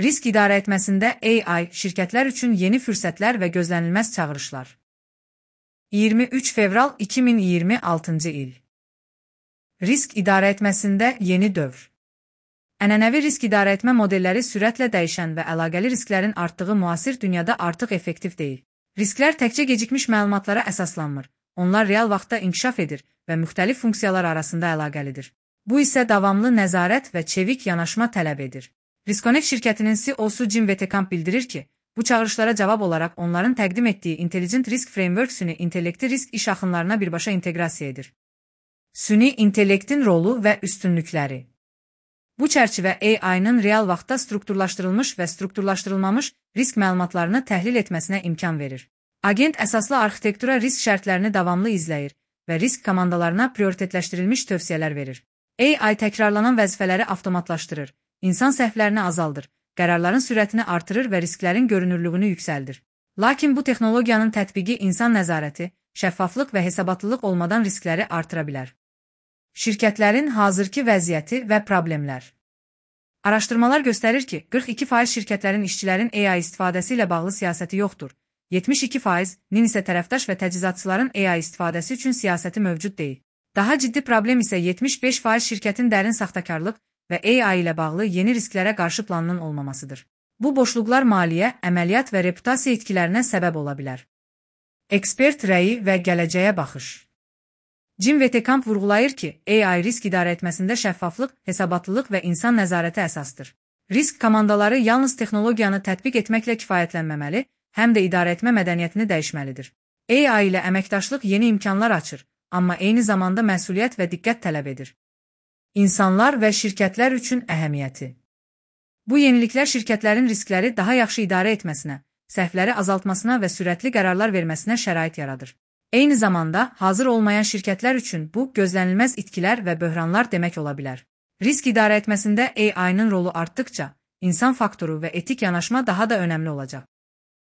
Risk idarə etməsində AI şirkətlər üçün yeni fürsətlər və gözlənilməz çağırışlar. 23 fevral 2026 il. Risk idarə etməsində yeni dövr. Ənənəvi risk idarə etmə modelləri sürətlə dəyişən və əlaqəli risklərin artdığı müasir dünyada artıq effektiv deyil. Risklər təkcə gecikmiş məlumatlara əsaslanmır. Onlar real vaxtda inkişaf edir və müxtəlif funksiyalar arasında əlaqəlidir. Bu isə davamlı nəzarət və çevik yanaşma tələb edir. Riskonet şirkətinin CEO-su Jim Wetekamp bildirir ki, bu çağırışlara cavab olaraq onların təqdim etdiyi Intelligent Risk Framework süni intellekti risk iş axınlarına birbaşa inteqrasiya edir. Süni intellektin rolu və üstünlükləri. Bu çərçivə AI-nın real vaxtda strukturlaşdırılmış və strukturlaşdırılmamış risk məlumatlarını təhlil etməsinə imkan verir. Agent əsaslı arxitektura risk şərtlərini davamlı izləyir və risk komandalarına prioritetləşdirilmiş tövsiyələr verir. AI təkrarlanan vəzifələri avtomatlaşdırır, insan səhvlərini azaldır, qərarların sürətini artırır və risklərin görünürlüyünü yüksəldir. Lakin bu texnologiyanın tətbiqi insan nəzarəti, şəffaflıq və hesabatlılıq olmadan riskləri artıra bilər. Şirkətlərin hazırki vəziyyəti və problemlər. Araşdırmalar göstərir ki, 42% şirkətlərin işçilərin AI istifadəsi ilə bağlı siyasəti yoxdur. 72%-nin isə tərəfdaş və təchizatçıların AI istifadəsi üçün siyasəti mövcud deyil. Daha ciddi problem isə 75% şirkətin dərin saxtakarlıq və AI ilə bağlı yeni risklərə qarşı planının olmamasıdır. Bu boşluqlar maliyyə, əməliyyat və reputasiya itkilərinə səbəb ola bilər. Ekspert rəyi və gələcəyə baxış. Jim Wetekamp vurğulayır ki, AI risk idarə etməsində şəffaflıq, hesabatlılıq və insan nəzarəti əsasdır. Risk komandaları yalnız texnologiyanı tətbiq etməklə kifayətlənməməli, həm də idarə etmə mədəniyyətini dəyişməlidir. AI ilə əməkdaşlıq yeni imkanlar açır, amma eyni zamanda məsuliyyət və diqqət tələb edir. İnsanlar və şirkətlər üçün əhəmiyyəti. Bu yeniliklər şirkətlərin riskləri daha yaxşı idarə etməsinə, səhvləri azaltmasına və sürətli qərarlar verməsinə şərait yaradır. Eyni zamanda, hazır olmayan şirkətlər üçün bu, gözlənilməz itkilər və böhranlar demək ola bilər. Risk idarə etməsində AI-nın rolu artdıqca, insan faktoru və etik yanaşma daha da önəmli olacaq.